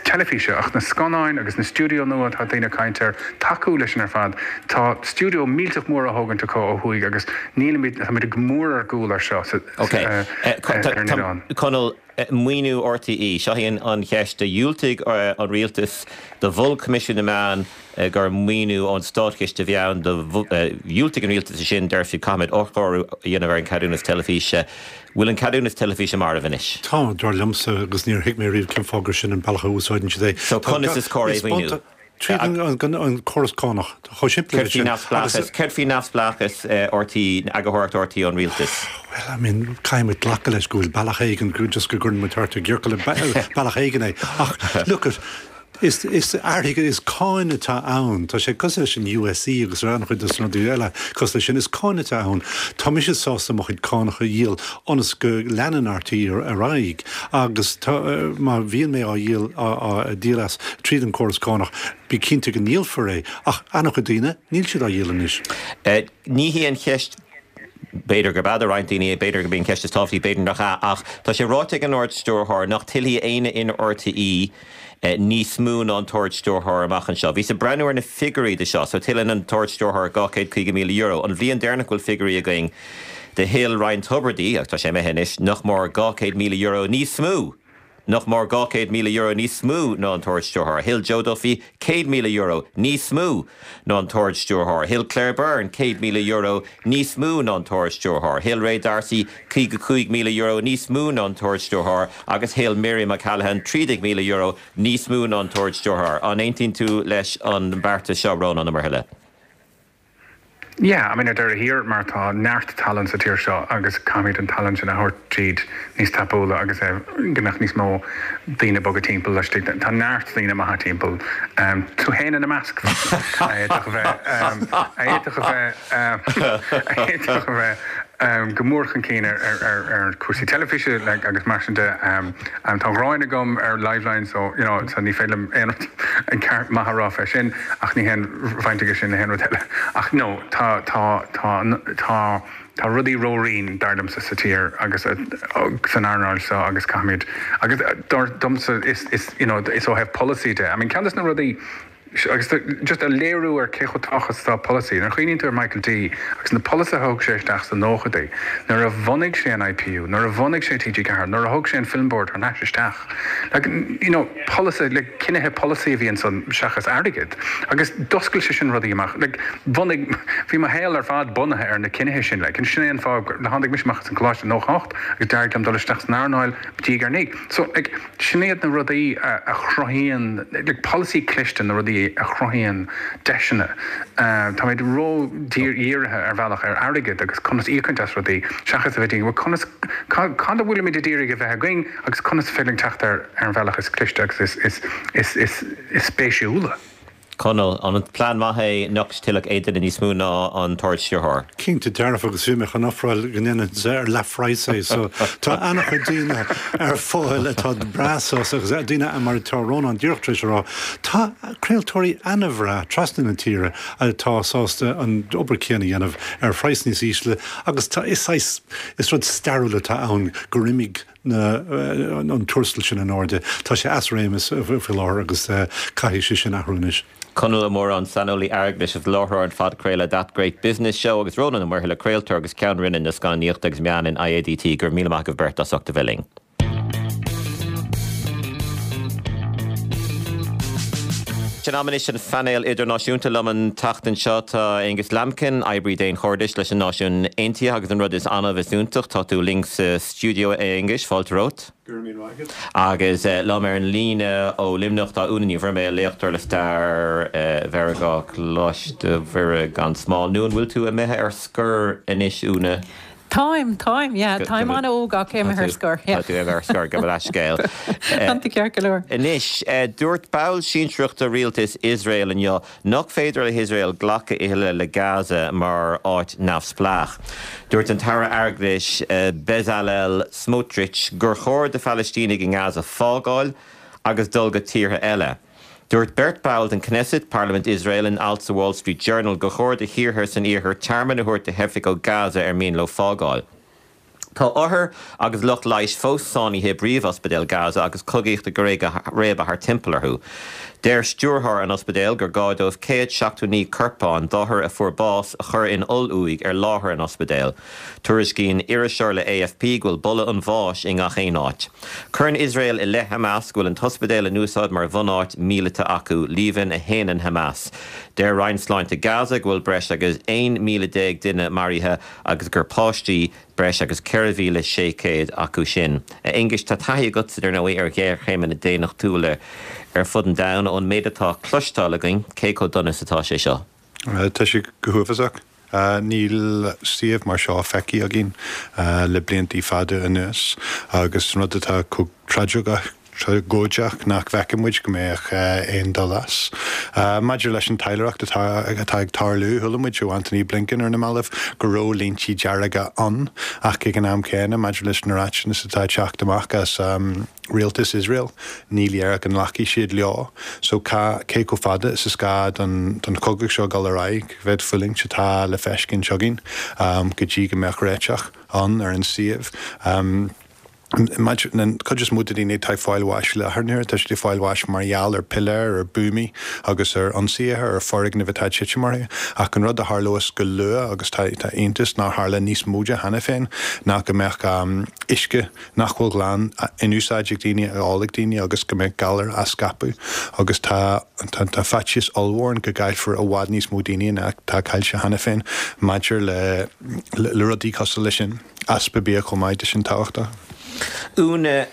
teilifíse ach na scannáin agus na stiúideo nua atá daoine ag caint air tacú leis sin ar fad Tá stiúideo millteach mór á thógaint acu ó thuaidh agus nílimid táimid go mór ar gcúl ar seo sa- Ok. eh, Eh, co- eh, tá- ar an tá- oileán. Conall eh, maoiniú RTÉ, seo í an cheist do dhiúltaigh eh, an rialtas do mhol Coimisiún na Meán eh, gur maoiniú ón státchiste a bhí ann do dhiúltaigh an rialtas sin deir siad caithfimid athchóiriú a dhéanamh ar an ceadúnas teilifíse. Bhfuil an ceadúnas teilifíse marbh anois. Tá dar liomsa agus níor thuig mé riamh cén fáth gur sin an bealach a úsáideann siad é. So Tá conas ga- is cóir é is mhaoiniú? bunta- Tríd an, an, an córas cánach chomh simplí Céard faoi sin. neamhspleáchas, Agus- céard faoi neamhspleáchas RTÉ eagarthóireacht RTÉ ón rialtas. Well, I mean, caithfimid glacadh leis go bhfuil bealach éigin go just go gcuireann muid thart i gciorcal bealach éigin é. Ach look at Is is airgead is cáin atá ann, Tá sé cosúil leis an U S C agus an-chuid de na rudaí eile cosúil leis sin, is cáin atá ann. Tá mise sásta mo chuid cánach a dhíol ionas go leanann R T E ar aghaidh agus tá, má bhíonn mé á dhíol á díol as tríd an córas cánach, bí cinnte go ndíolfar é, ach an-chuid daoine níl siad á dhíol anois. Uh, ní hí an cheist, b'fhéidir gurb ea do roinnt daoine, b'fhéidir go b'in ceist is tábhachtaí, b'fhéidir nach ea, ach tá sé ráite ag an Ard-Stiúrthóir nach dtuillfidh éinne in R T E eh, níos mó ná an tArd-Stiúrthóir amach anseo. Bhíos ag breathnú ar na figiúirí de seo, so tuilleann an tArd-Stiúrthóir dhá chéad caoga míle euro. An bhliain deireanach go bhfuil figiúirí againn de thuill Ryan Tubridy, agus tá sé imithe anois, nach mór dhá chéad míle euro níos mó. Nach mór dhá chéad míle euro níos mó ná an tArd-Stiúrthóir. Thuill Joe Duffy céad míle euro níos mó ná an tArd-Stiúrthóir. Thuill Claire Byrne céad míle euro níos mó ná an tArd-Stiúrthóir. Thuill Ray D'Arcy caoga cúig míle euro níos mó ná an tArd-Stiúrthóir agus thuill Miriam O'Callaghan trí déag míle euro níos mó ná an tArd-Stiúrthóir. An aontaíonn tú leis an beartas seo, Rónán Ó Muirthile? Yeah, I mean, ar deireadh thiar mar tá neart tallann sa tír seo agus caithfimid an tallann sin a thabhairt tríd níos tapúla agus é go mbeadh níos mó daoine boga timpeall leis. Tá neart daoine maithe timpeall, um, tú féin ina measc, a fhéadfadh a bheith um, a fhéadfadh a bheith um, a fhéadfadh a bheith um, go mór chun cinn ar, ar, ar, ar cúrsaí teilifíse, like, agus mar sin de um, um, tá gráin agam ar Liveline, so you know, so ní féidir liom aon rud an ceart maith a rá fé sin, ach ní haon bhaint aige sin le haon rud eile. Ach no, tá tá tá tá tá rudaí ródhian dar liomsa sa tír agus uh, san earnáil seo agus caithfimid agus uh, dar domsa is is you know is ó thaobh policy de. I mean, ceann de na rudaí agus just a léiriú ar cé chomh tábhachtach tá policy. Nuair a chuimhníonn tú ar Michael D agus na polasaithe a thug sé isteach sna nóchaidí, nuair a bhunaigh sé an I P U, nuair a bhunaigh sé T G Ceathair, nuair a thug sé an Film Board thar n-ais isteach. Like, you know, policy, like, cinnithe policy a bhí ansan seachas airgead. Agus d'oscail sé sin rudaí amach. Like, bhunaigh bhí mo shaol ar fad bunaithe ar na cinnithe sin, like, sin é an fáth gur tháinig mise amach as an choláiste nócha ocht agus d'éirigh liom dul isteach san earnáil diaidh ar ndiaidh. So like, sin iad na rudaí a, a chruthaíonn, like, policy cliste, na rudaí a chruthaíonn deiseanna. Uh, Tá méid ró-dhírithe ar bhealach ar airgead agus conas íocaint as rudaí seachas a bheith conas cad a bhfuilimid ag iarraidh a bheith againn agus conas féidir teacht ar ar an bhealach is cliste agus is, is, is, is, is spéisiúla. Conall, an plean maith é nach dtuillfeadh aon duine níos mó ná an tArd-Stiúrthóir? Cinnte dearfa, agus bhí mé chun ofráil go ndéanfainn ar leathphraghas é, so tá an-chuid daoine ar fáil atá breá sásta agus daoine mar atá Rónán díreach tar éis a rá. Tá craoltóirí an-bhreá trasna na tíre atá sásta an obair chéanna a dhéanamh ar phraghas níos ísle agus tá is is rud stairiúil atá ann gur imigh na an tuarastal sin in airde. Tá sé as réimeas faoi láthair agus caithfidh sé sin athrú anois. Conall Ó Móráin, saineolaí airgeadais is láithreoir an phodchraoladh That Great Business Show, agus Rónán Ó Muirthile, craoltóir agus ceann roinne na scannánaíochta agus meán in I A D T, go raibh míle maith agaibh beirt as ucht a bheith linn. Sin am anois an phainéil idirnáisiúnta. Liom an tseachtain seo tá Angus Lambkin, oibrí daonchairdis leis an Náisiún Aontaithe, agus an rud is annamh is iontach, tá tú linn sa stiúideo, Angus, fáilte romhat. Agus uh, liom ar an líne ó Luimneach tá Úna Ní Bhroiméil, léachtóir le stair uh, Mheiriceá, Coláiste Mhuire gan Smál. Nó an bhfuil tú imithe ar scor anois, Úna? Táim táim yeah, táim an-óg ach imithe ar scor. Tá tú ar scor, go leithscéal. Tá ceart go leor. Anois, dúirt ball sinsearach de rialtas Iosrael inniu nach féidir le hIosrael glacadh a thuilleadh le Gaza mar áit neamhspleách. Dúirt an tAire Airgeadais Bezalel Smotrich gur chóir do Phalaistínigh i nGaza fágáil agus dul go tíortha eile. Dúirt beirt ball den Knesset, Parlaimint Iosrael, in alt sa Wall Street Journal gur chóir do thíortha san iarthar tearmann a thabhairt do theifigh ó Gaza ar mian leo fágáil. Tá othair agus lucht leighis fós sáinnithe i bpríomhospidéal Gaza agus cogaíocht ag réabadh thar timpeall orthu. Deir stiúrthóir an ospidéil gur gá dóibh céad seachtó naoi corpán d'othair a fuair bás a chur in oll-uaigh ar láthair an ospidéil. Tuairiscíonn iriseoir le A F P go bhfuil boladh an bháis i ngach aon áit. Cuireann Iosrael i leith Hamas go bhfuil an t-ospidéal in úsáid mar bhunáit míleata acu, líomhain a shéanann Hamas. Deir Roinn Sláinte Gaza go bhfuil breis agus aon míle déag duine maraithe agus gur páistí breis agus ceithre mhíle sé chéad acu sin. Aonghus, tá taithí agat ar ndóigh ar ghéarchéimeanna daonnachtúla ar fud an domhain. Ón méid atá cloisteáil againn, cé chomh dona is atá sé seo? Tá sé go huafásach. Uh, níl suíomh mar seo feicthe againn uh, le blianta fada anuas agus rud atá tragóideach. tragóideach nach bhfeiceann muid go mbeadh aon dul as. Maidir leis an taidhleoireacht atá atá ag tarlú, chuala muid ó Antony Blinken ar na mallaibh go raibh línte dearga ann ach ag an am céanna maidir leis na ráitis atá ag teacht amach as rialtas Iosrael, ní léir go nglacfaidh siad leo. So cá cé chomh fada is is gá don don chogadh seo dul ar aghaidh, cá mhéad fulaingt atá le feiscint againn go dtí go mbeadh réiteach ann ar an suíomh. Maidir an chuid is mó de daoine atá ag fáil bháis láthair na huaire, tá siad ag fáil bháis mar gheall ar piléir, ar buamaí agus ar ionsaithe, ar foirgnimh atá ag titim orthu. Ach an rud a tharlós go luath, agus tá tá iontas nár tharla níos mó de cheana féin, ná go mbeadh uisce nach bhfuil glan in úsáid ag daoine, á ól ag daoine agus go mbeadh galair á scaipeadh. Agus tá tá tá faitíos ollmhór ann go gcaillfear i bhfad níos mó daoine ná atá caillte cheana féin maidir le le rudaí cosúil leis sin. Easpa bia chomh maith, tá sin tábhachtach. Úna,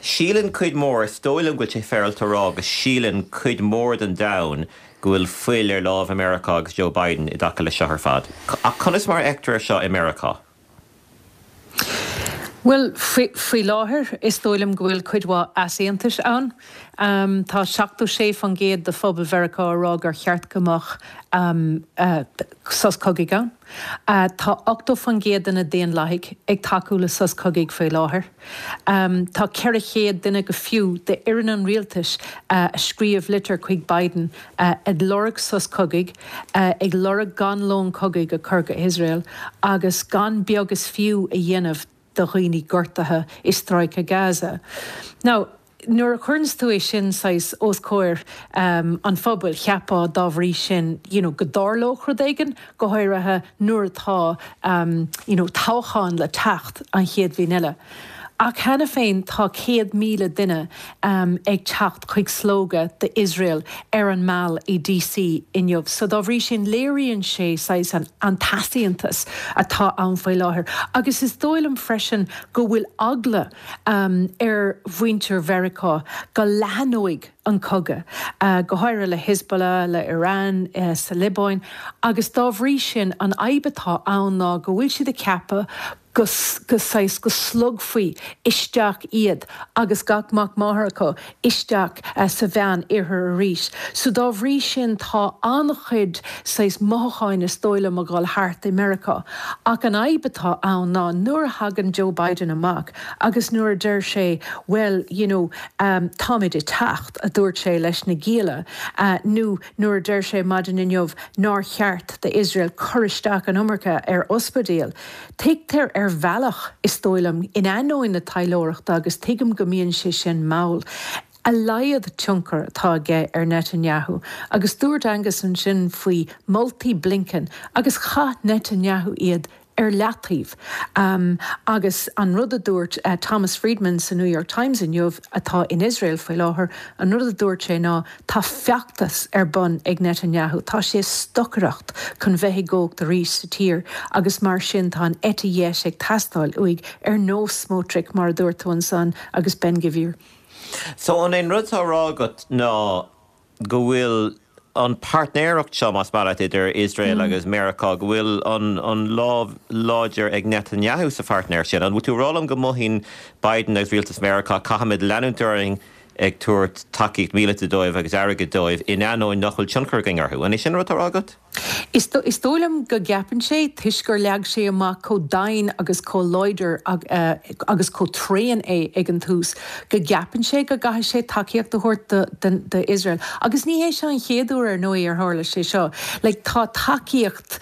síleann cuid mhór, is dóigh liom go bhfuil sé féaráilte a rá go síleann cuid mhór den domhan go bhfuil fuil ar lámh Mheiriceá agus Joe Biden i dtaca leis seo ar fad. Ach conas mar a fheictear é seo i Meiriceá? Bhuel, faoi láthair, is dóigh liom go bhfuil cuid mhaith easaontais ann. Tá seachtó sé faoin gcéad de phobal Mheiriceá ag rá gur cheart go mbeadh sos cogaidh ann. Tá ochtó faoin gcéad de na Daonlathaigh ag tacú le sos cogaidh faoi láthair. Tá ceithre chéad duine go fiú d'fhoireann an rialtais a scríobh litir chuig Biden ag lorg sos cogaidh, ag lorg gan lón cogaidh a chur go hIosrael agus gan beag is fiú a dhéanamh do dhaoine gortaithe i Stráice Gaza. Now, nuair a chuireanns tú é sin saghas os comhair an phobail, cheapfá dá bhrí sin you know go dtarlódh rud éigin, go háirithe nuair atá you know toghchán le teacht an chéad bhliain eile. Ach cheana féin tá céad míle duine ag teacht chuig slógadh d'Iosrael ar an Mall i D C inniu. So dá bhrí sin léiríonn sé saghas an an t-easaontas atá ann faoi láthair. Agus is dóigh liom freisin go bhfuil eagla ar mhuintir Mheiriceá go leathnóidh an cogadh, go háirithe le Hezbollah, le Iran, sa Liobáin, agus dá bhrí sin an fhadhb atá ann ná go bhfuil siad ag ceapadh go go saghas go slogfaí isteach iad agus gach mac máthar acu isteach sa Mheán Oirthear arís. So dá bhrí sin tá an-chuid saghas mothúcháin is dóigh liom ag dul thart i Meiriceá. Ach an fhadhb atá ann ná nuair a thagann Joe Biden amach agus nuair a deir sé well you know um, táimid ag teacht a dúirt sé leis na gialla uh, nó nuair a deir sé maidin inniu nár cheart d'Iosrael cur isteach an iomarca ar ospidéil. Tuigtear ar bhealach is dóigh liom in ainneoin na taidhleoireachta agus tuigim go mbíonn sé sin mall. A laghad tionchar atá aige ar Netanyahu, agus dúirt Angus ansin faoi moltaí Blinken agus chaith Netanyahu iad ar leataobh. Um, agus an rud a dúirt uh, Thomas Friedman sa New York Times inniu atá in Israel faoi láthair, an rud a dúirt sé ná tá feachtas ar bun ag Netanyahu, Tá sé stocaireacht chun bheith i gcumhacht arís sa tír, agus mar sin tá an eite dheis ag teastáil uaidh ar nós Smotrich mar a dúirt tú ansan agus Ben Gvir. So an é rud atá á rá agat ná go bhfuil an páirtnéireacht seo más maith leat idir Israel mm. agus Meiriceá go bhfuil an, an lámh láidir ag Netanyahu sa pháirtnéir sin. An bhfuil tú ag rá liom go mothaíonn Biden agus rialtas Meiriceá caithfimid leanúint orainn ag tabhairt tacaíocht míleata dóibh agus airgead dóibh in ainneoin nach bhfuil tionchar againn orthu. An é sin rud atá á rá agat? Is is dóigh liom go gceapann sé toisc gur leag sé amach chomh domhain agus chomh láidir agus chomh tréan é ag an tús, go gceapann sé go gcaithfidh sé tacaíocht a thabhairt do Israel. Agus ní hé seo an chéad uair ar ndóigh ar tharla sé seo, like, tá tacaíocht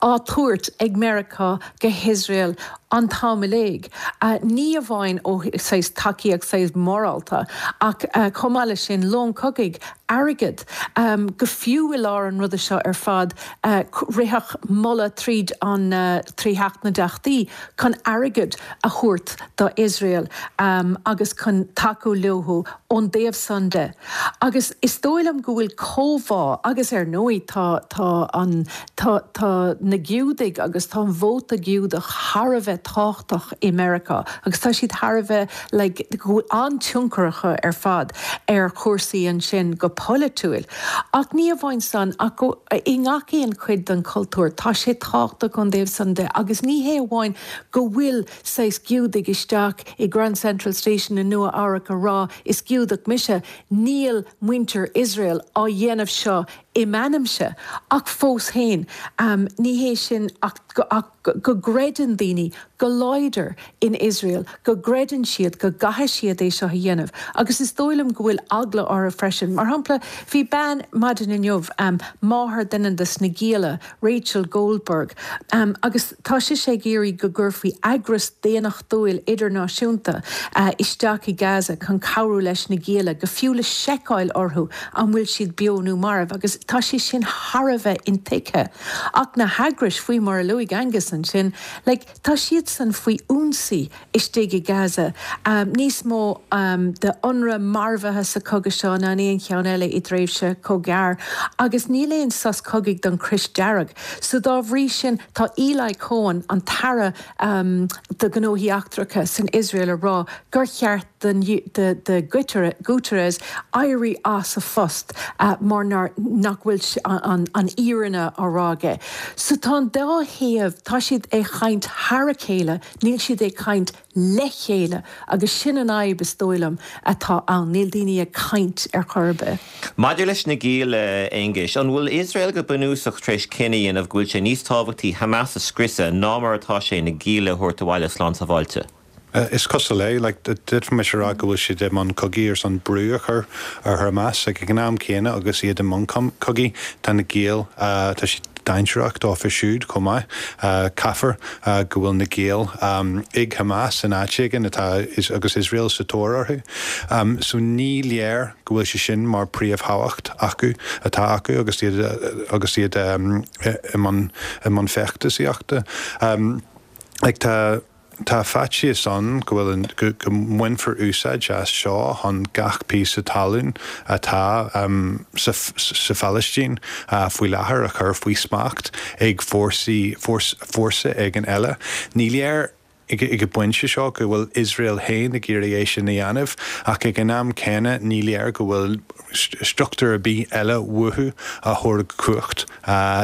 á tabhairt ag Meiriceá go hIosrael an t-am uilig. Uh, ní amháin ó saghas tacaíocht saghas morálta ach uh, chomh maith leis sin lón cogaidh airgead um, go fiú i lár an ruda seo ar fad uh, ritheadh moladh tríd an uh, trí Theach na dTeachtaí chun airgead a thabhairt do Israel um, agus chun tacú leo ón dtaobh san de. Agus is dóigh liom go bhfuil comhbhá agus ar ndóigh tá tá an tá tá na Giúdaigh agus tá an vóta Giúdach thar a bheith tábhachtach i Meiriceá agus tá siad thar a bheith like, an-tionchar acu ar fad ar chúrsaí ansin go polaitiúil. Ach ní amháin san ach go i ngach aon chuid den chultúr tá sé tábhachtach ón dtaobh san de agus ní hé amháin go bhfuil saghas Giúdaigh isteach i Grand Central Station i Nua Eabhrac a rá is Giúdach mise, níl muintir Iosrael á dhéanamh seo i m'ainmse ach fós féin um, ní hé sin ach, ach go gcreideann daoine go láidir in Israel, go gcreideann siad go gcaithfidh siad é seo a dhéanamh. Agus is dóigh liom go bhfuil eagla orthu freisin. Mar shampla, bhí bean maidin inniu um, máthair duine des na gialla, Rachel Goldberg, um, agus tá sise ag iarraidh go gcuirfí eagras daonnachtúil idirnáisiúnta uh, isteach i Gaza chun cabhrú leis na gialla, go fiú le seiceáil orthu an bhfuil siad beo nó marbh, agus tá sé sin thar a bheith intuigthe. Ach na heagrais faoi mar a luaigh Angus ansin, like, tá siad san faoi ionsaí istigh i Gaza. Um, níos mó um, de UNRWA marbhaithe sa chogadh seo ná aon cheann eile i dtréimhse chomh gearr, agus níl aon sos cogaidh don Chrois Dearg. So dá bhrí sin tá Eli Cohen an tAire um, do ghnóthaí eachtracha san Israel a rá gur cheart den de, de Guterres éirí as a phost uh, mar nach bhfuil an, an fhírinne á rá aige. So tá an dá thaobh tá siad ag caint thar a chéile, níl siad ag caint le chéile agus sin an fhadhb is dóigh liom atá ann, níl daoine ag caint ar chor ar bith. Maidir leis na gialla Aonghuis, an bhfuil Iosrael go bunúsach tar éis cinneadh a dhéanamh go bhfuil sé níos tábhachtaí Hamas a scriosadh ná mar atá sé na gialla a thabhairt abhaile slán sábháilte. Uh, is cosúil é like, d'fhéadfaimis a rá go bhfuil siad i mbun cogaidh ar son brú a chur ar Hamas ag an am céanna agus iad i mbun cogaidh tá na giall uh, tá siad dainséarach dófa siúd chomh maith uh, caithfear uh, go bhfuil na giall um, ag Hamas in áit éigin atá is, agus Israel sa tóir orthu. Um, so ní léir go bhfuil sé sin mar príomhthábhacht acu atá acu agus iad agus iad um, i mbun feachtasaíochta. Um, like, tá Tá faitíos ann go bhfuil go, go mbainfear úsáid as seo chun gach píosa talún atá um, sa, sa Phalaistín uh, faoi láthair a chur faoi smacht ag fórsaí fórsa éigin eile. Ní léir ag an bpointe seo go bhfuil Israel féin ag iarraidh é sin a dhéanamh ach ag an am céanna ní léir go bhfuil struchtúr ar bith eile uathu a thabharfadh cumhacht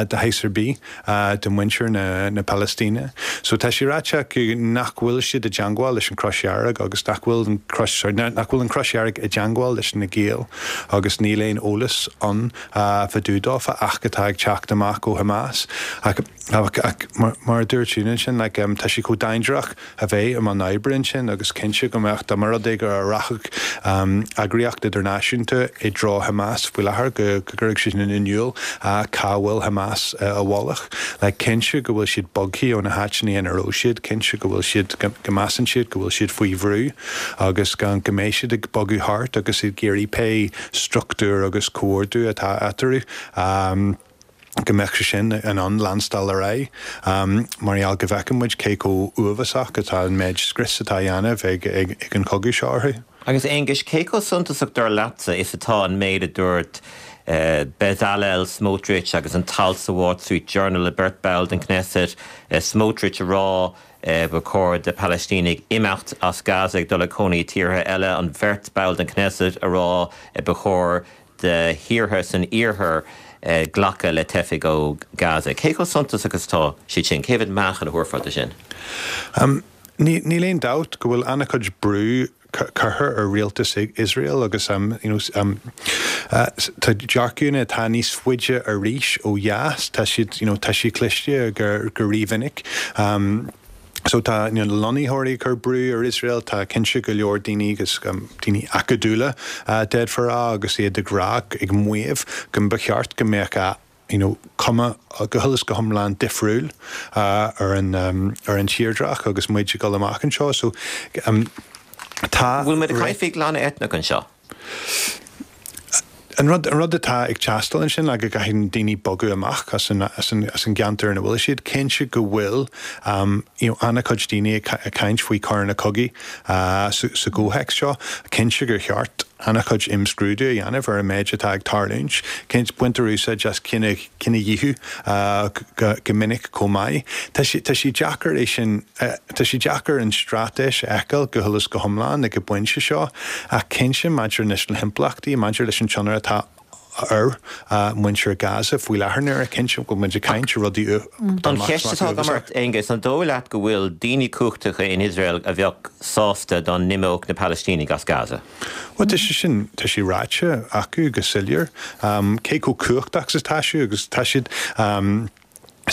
de shaghas ar bith do mhuintir na, na Palaistíne. So tá sé ráite acu nach bhfuil siad i dteagmháil leis an Chrois Dhearg agus nach bhfuil an Chrois nach bhfuil an Chrois Dhearg i dteagmháil leis na giall agus níl aon eolas ann fá dtaobh dófa ach atá ag teacht amach ó Hamas. Ach, ach, ach, mar, mar dúirt sin sin like, um, tá sé chomh dainséarach a bheith i mbun oibre ansin agus cinnte go mbeadh dá mba rud é go rachadh um, eagraíocht idirnáisiúnta i dtreo Hamas faoi láthair go go gcuirfeadh sé sin in iúl uh, cá bhfuil Hamas uh, a bhealach. Le cinnte go bhfuil siad bogtha ó na háiteanna ina raibh siad, cinnte go bhfuil siad go measann siad go bhfuil siad faoi bhrú agus gan go mbeidh siad ag bogadh thart agus iad ag iarraidh pé struchtúr agus comhordú atá eatarthu. Um, go mbeadh sé sin in ann leanstáil ar aghaidh um, mar gheall go bhfeiceann muid cé chomh uafásach atá an méid scrios atá á dhéanamh ag, ag, ag an chogadh seo orthu. Agus Aonghus cé chomh suntasach dar leatsa is atá an méid a dúirt uh, Bezalel Smotrich agus an t-alt sa Wall Street Journal le beirt ball den Knesset uh, Smotrich a rá uh, ba chóir do Palaistínigh imeacht as Gaza ag dul a cónaí tíortha eile an bheirt ball den Knesset a rá uh, ba chóir do thíortha san iarthar uh, glacadh le teifigh ó Gaza. Cé chomh suntasach agus tá siad sin cé mhéad meáchan a thabharfá dó sin? Um, Níl aon dabht go bhfuil an-chuid brú curtha ar rialtas Israel agus um, you know, um, uh, tá dearcadh atá níos faide arís ó dheas tá siad you know, tá siad cliste go go rímhinic. Um, So tá you know, lonnaitheoirí ag cur brú ar Israel tá cinnte go leor daoine agus um, daoine acadúla uh, d'fhéadfá a rá agus iad ag rá ag maíomh go mba cheart go mbeadh a you know, cuma go huile is go hiomlán difriúil uh, ar an um, ar an tírdreach agus muid ag dul amach anseo so um, tá Bhfuil muid ag caint faoi ghlanadh eitneach anseo? An rud an rud atá ag teastáil ansin le go gcaithfidh daoine bogadh amach as an, as an, as an gceantar ina bhfuil siad cinnte go bhfuil um, you know, an-chuid daoine ag ag caint faoi choireanna cogaidh uh, sa, sa gcomhthéacs seo, cinnte gur cheart an-chuid imscrúdú a dhéanamh ar an méid atá ag tarlúint, cinnte baintear úsáid as cine cinedhíothú uh, go, go minic chomh maith. Tá sé tá sé deacair é sin uh, tá sé deacair an straitéis a fheiceáil go huile is go hiomlán ag an bpointe seo ach cinnte maidir leis na himpleachtaí maidir leis an tionchar atá ar muintir Gaza faoi láthair nuair a cinnte go muid ag caint ar rudaí An cheist atá agam ort, Aengus, an dóigh leat go bhfuil daoine cumhachtacha in Iosrael a bheadh sásta dá n-imeodh na Palaistínigh as Gaza? Bhuel, tá sé sin, tá sé ráite acu go soiléir. Cé chomh cumhachtach is atá siad agus tá siad,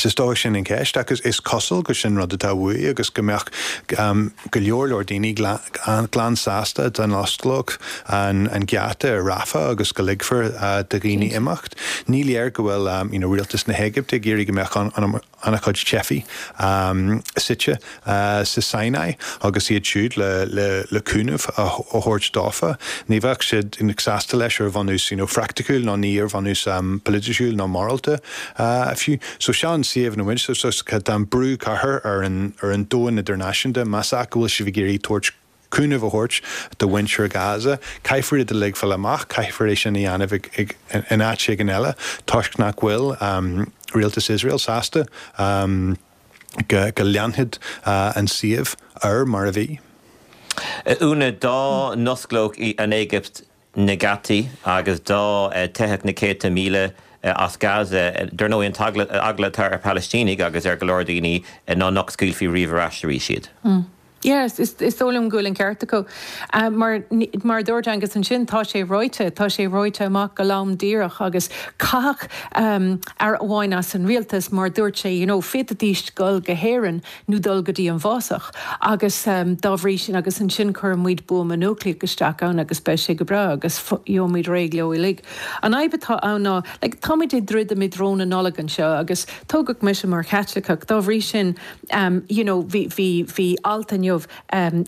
is dóigh sin an cheist agus is cosúil go sin rud atá uaidh agus go mbeadh go leor leor daoine glan sásta dá n-osclódh an geata ar Rafah agus go ligfear do dhaoine imeacht. Ní léir go bhfuil you know rialtas na hÉigipte ag iarraidh go mbeadh an an-chuid teifigh suite sa Sinai agus iad siúd le cúnamh a thabhairt dófa. Ní bheadh siad sásta leis ar bhunús you know phraiticiúil ná ní ar bhunús polaitiúil ná morálta fiú. So seo an suíomh ina bhfuil so tá an brú curtha ar an ar an domhan idirnáisiúnta más ea go bhfuil sibh ag iarraidh tabhairt cúnamh a thabhairt do mhuintir Gaza. Caithfear iad a lig fáil amach, caithfear é sin a dhéanamh in áit éigin eile toisc nach bhfuil rialtas Iosrael sásta go leanfadh an suíomh air mar a bhí. Úna, dá n-osclódh an Éigipt na geataí agus dá dteithfeadh na céadta míle as Gaza, dar ndóigh an t-eagla atá ar Phalaistínigh agus ar go leor daoine ná nach scaoilfí riamh ar ais arís iad. Yeah, is is dóigh liom go bhfuil an ceart acu. Mar mar a dúirt Aengus ansin, tá sé ráite, tá sé ráite amach go lom díreach agus caitheadh aire amháin as an rialtas mar dúirt sé, you know, féadfaidís dul go hÉirinn nó dul go dtí an bhfásach agus dá bhrí sin agus ansin cuirfidh muid buama núicléach isteach ann agus beidh sé go breá agus gheobhaimid réidh leo uilig. An fhadhb atá ann ná, like, táimid ag druidim i dtreo na Nollag anseo agus tógadh mise mar Chaitliceach, dá bhrí sin, you know, bhí, bhí, bhí alt inniu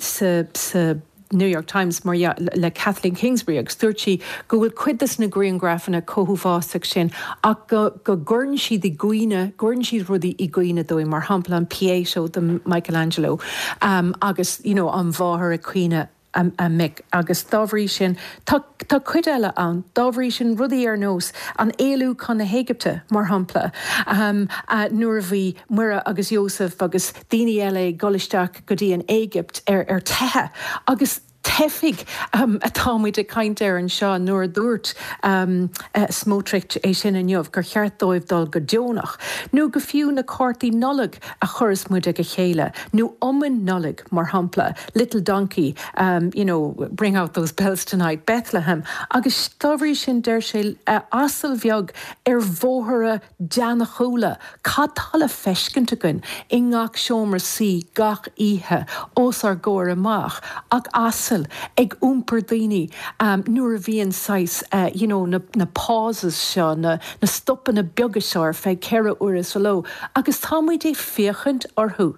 sa, sa New York Times mar dhea le Kathleen Kingsbury agus dúirt sí go bhfuil cuid des na grianghrafanna chomh huafásach sin ach go, go gcuireann siad i gcuimhne, gcuireann siad rudaí i gcuimhne dúinn, mar shampla an Pietà de Michelangelo um, agus you know, an mháthair ag caoineadh a, a mic agus dá bhrí sin tá, tá cuid eile ann, dá bhrí sin rudaí ar nós an éalú chun na hÉigipte, mar shampla, um, uh, nuair a bhí Muire agus Iósaf agus daoine eile ag dul isteach go dtí an Éigipt ar, ar teitheadh agus teifigh um, atá muid ag caint air anseo nuair a dúirt um, uh, Smotrich é sin inniu gur cheart dóibh dul go deonach, nó go fiú na cártaí Nollag a chuireas muid ag a chéile, nó iomainn Nollag mar shampla, Little Donkey, um, you know, bring out those bells tonight, Bethlehem, agus dá bhrí sin deir sé uh, asal bheag ar bhóithre deannachúla, cad tá le feiscint againn i ngach seomra suí gach oíche os ár gcomhair amach ach asail ag iompar daoine um, nuair a bhíonn saghas uh, you know, na, na pauses seo, na, na stopanna beaga seo ar feadh ceithre uaire sa ló, agus tá muid ag féachaint orthu.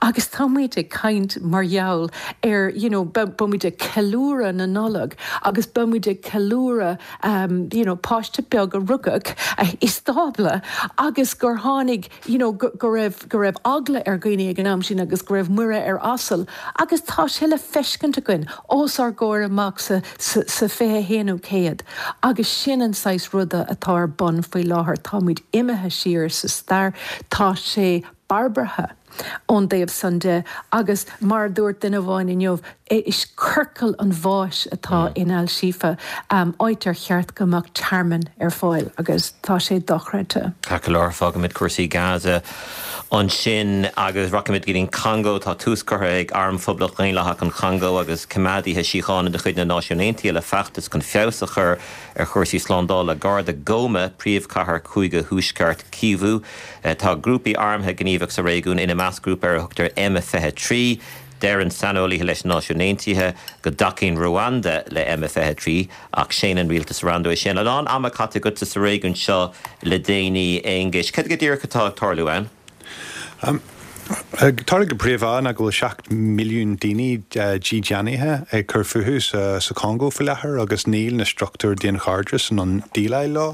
Agus tá muid ag caint mar gheall ar you know, beimid ag ceiliúradh na Nollag agus beimid ag ceiliúradh um, you know, páiste beag a rugadh uh, i stábla agus gur tháinig you know, go, go raibh go raibh eagla ar dhaoine ag an am sin agus go raibh Muire ar asal agus tá sé le feiscint againn os ár gcomhair amach sa, sa, sa fiche haonú céad. Agus sin an saghas ruda atá ar bun faoi láthair, táimid imithe siar sa stair, tá sé barbartha ón dtaobh san de agus mar a dúirt duine amháin inniu, is ciorcal an bháis atá in Al Shifa, um, áit ar cheart go mbeadh tearmann ar fáil agus tá sé dochreidte. Ceart go leor, fágfaimid cúrsaí Gaza ansin agus rachaimid go dtí an Congó. Tá tús curtha ag Arm Phoblacht Dhaonlathach an Chongó agus coimeádaithe síochána de chuid na Náisiún Aontaithe le feachtas chun feabhas a chur ar chúrsaí slándála gar do Goma, príomhchathair Chúige Thuaisceart Kivu. Tá grúpaí armtha gníomhach sa réigiún, ina measc grúpa ar a thugtar M fiche trí. Deireann saineolaithe leis na Náisiúin Aontaithe go dtacaíonn Ruanda le M fiche trí ach séanann rialtas Ruanda é sin. A lán ama caite agatsa sa réigiún seo le déanaí, Aonghuis. Cad go díreach atá ag tarlú ann? Tarlaíonn go príomha ná go bhfuil seacht milliún daoine dídeanaithe ag cur fúthu sa Chongó faoi láthair agus níl na struchtúir daonchairdis in ann déileáil leo.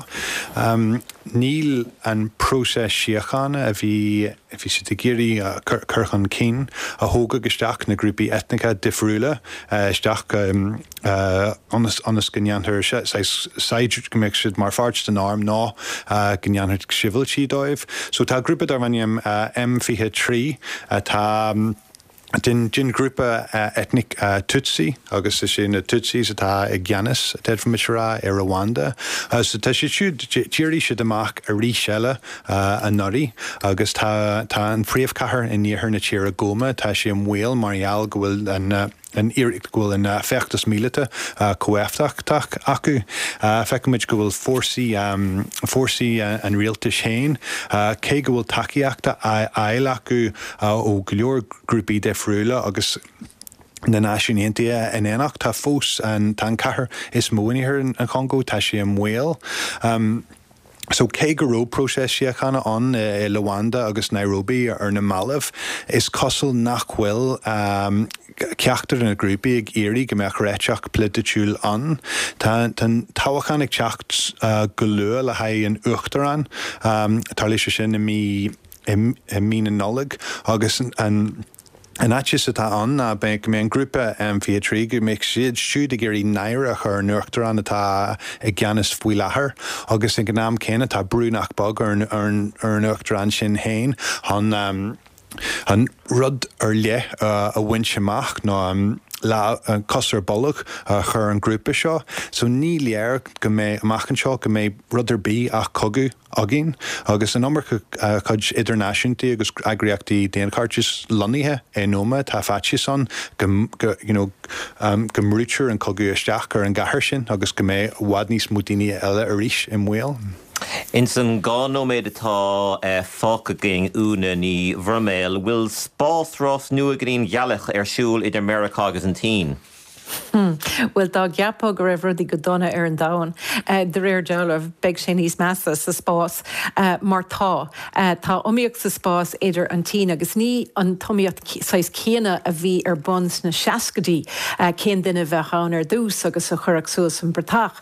Níl an próiseas síochána a bhí a bhí siad ag iarraidh a chur chun cinn a thógfadh isteach na grúpaí eitneacha difriúla isteach ionas ionas go ndéanfar saghas go mbeadh siad mar pháirt den arm ná go ndéanfar sibhialtaigh dóibh. So tá grúpa darb ainm M fiche trí atá Den den grúpa eitneach Tutsi agus is é na Tutsis atá i gceannas d'fhéadfaimis a rá ar Rwanda. So tá siad siúd d'éirigh siad amach arís eile anuraidh agus tá tá an phríomhchathair in iarthar na tíre Goma, tá sé i mbaol mar gheall go bhfuil an an iarracht go bhfuil an feachtas míleata chomh éifeachtach acu. Feicimid go bhfuil fórsaí fórsaí an rialtais féin, cé go bhfuil tacaíocht á fháil acu ó go leor grúpaí difriúla agus na Náisiúin Aontaithe in éineacht, tá fós an tá an cathair is mó in iarthar an Chongó, tá sé i mbaol. So cé go raibh próiseas síochána ann i Luanda agus Nairobi ar na mallaibh, is cosúil nach bhfuil ceachtar de na grúpaí ag iarraidh go mbeadh réiteach polaitiúil ann. Tá an toghchán ag teacht go luath le haghaidh an uachtaráin, tarlóidh sé sin i mí i mí na Nollag agus an An fhaitíos atá ann ná go mbeidh an grúpa M fiche a trí, go mbeidh siad siúd ag iarraidh náire a chur ar an uachtarán atá i gceannas faoi láthair agus ag an am céanna tá brú nach beag ar an uachtarán sin féin chun an rud ar leith a bhaint amach nó cos ar bolg a chur ar an ngrúpa seo. So ní léir go mbeidh amach anseo go mbeidh rud ar bith ach cogadh againn agus an iomarca cuid idirnáisiúntaí agus eagraíochtaí daonchairdis lonnaithe i nGoma tá faitíos ann go you know go mbrúitear an cogadh isteach ar an gcathair sin agus go mbeidh i bhfad níos mó daoine eile arís i mbaol. Ins an dhá nóiméad atá fágtha againn, Úna Ní Bhroiméil, bhfuil spásrás nua go dtí an ghealach ar siúl idir Meiriceá agus an tSín? Bhuel, dá gceapfá go raibh rudaí go dona ar an domhan, de réir dealraimh, beidh sé níos measa sa spás. Mar tá. Tá iomaíocht sa spás idir an tSín agus ní an t-iomaíocht saghas céanna a bhí ar bun sna seascaidí, cén duine a bheadh ann ar dtús agus a chuirfeadh suas an bratach.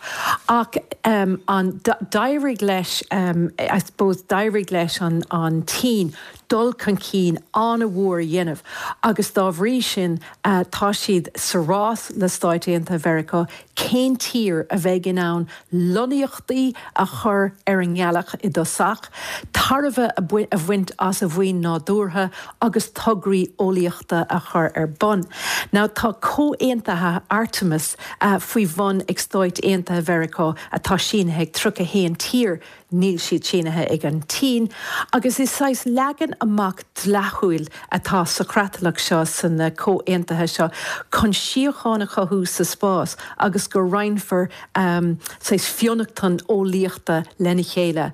Ach an d'éirigh leis, I suppose, d'éirigh leis an tSín dul chun cinn an-mhór a dhéanamh agus dá bhrí sin tá siad sa rás le Stáit Aontaithe Mheiriceá cén tír a bheidh in ann lonnaíochtaí a chur ar an ngealach i dtosach, tairbhe a bhaint as a mhaoin nádúrtha agus tograí eolaíochta a chur ar bun. Now tá comhaontuithe Artemis faoi bhun ag Stáit Aontaithe Mheiriceá atá sínithe ag tríocha a haon tír, níl siad sínithe ag an tSín, agus is saghas leagan amach dleathúil atá sa chreatlach seo, sna comhaontuithe seo, chun síocháin a chothú sa spás agus go roinnfear saghas fionnachtain eolaíochta lena chéile.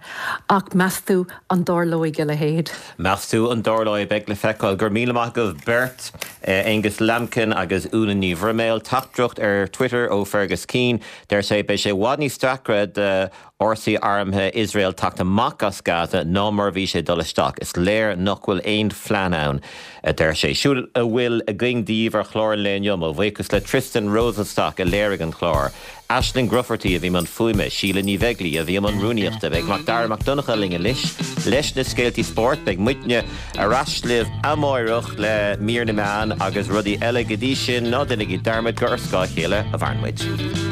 Ach meas tú an dtarlóidh a leithéid? Meas tú an dtarlóidh? Beidh le feiceáil. Go raibh míle maith agaibh beirt, Aonghus Lambkin agus Úna Ní Bhroiméil. Teachtaireacht ar Twitter ó Fergus Keane, deir sé, Beidh sé i bhfad níos deacra do fhórsaí armtha Iosrael teacht amach as Gaza ná mar a bhí sé dul isteach. Is léir nach bhfuil aon phlean ann, a deir sé. Siúd a bhfuil againn daoibh ar chlár an lae inniu. Mo bhuíochas le Tristan Rosenstock a léirigh an clár, Aisling Grufferty a bhí i mbun fuaime, Síle Ní Bheaglaoi a bhí i mbun rúnaíochta. Beidh Macdara Mac Donncha linn anois leis na scéaltaí spóirt. Beidh muidne ar ais libh amáireach le mír na meán agus rudaí eile. Go dtí sin, ná déanaigí dearmad gur ar scáth a chéile a mhaireann muid.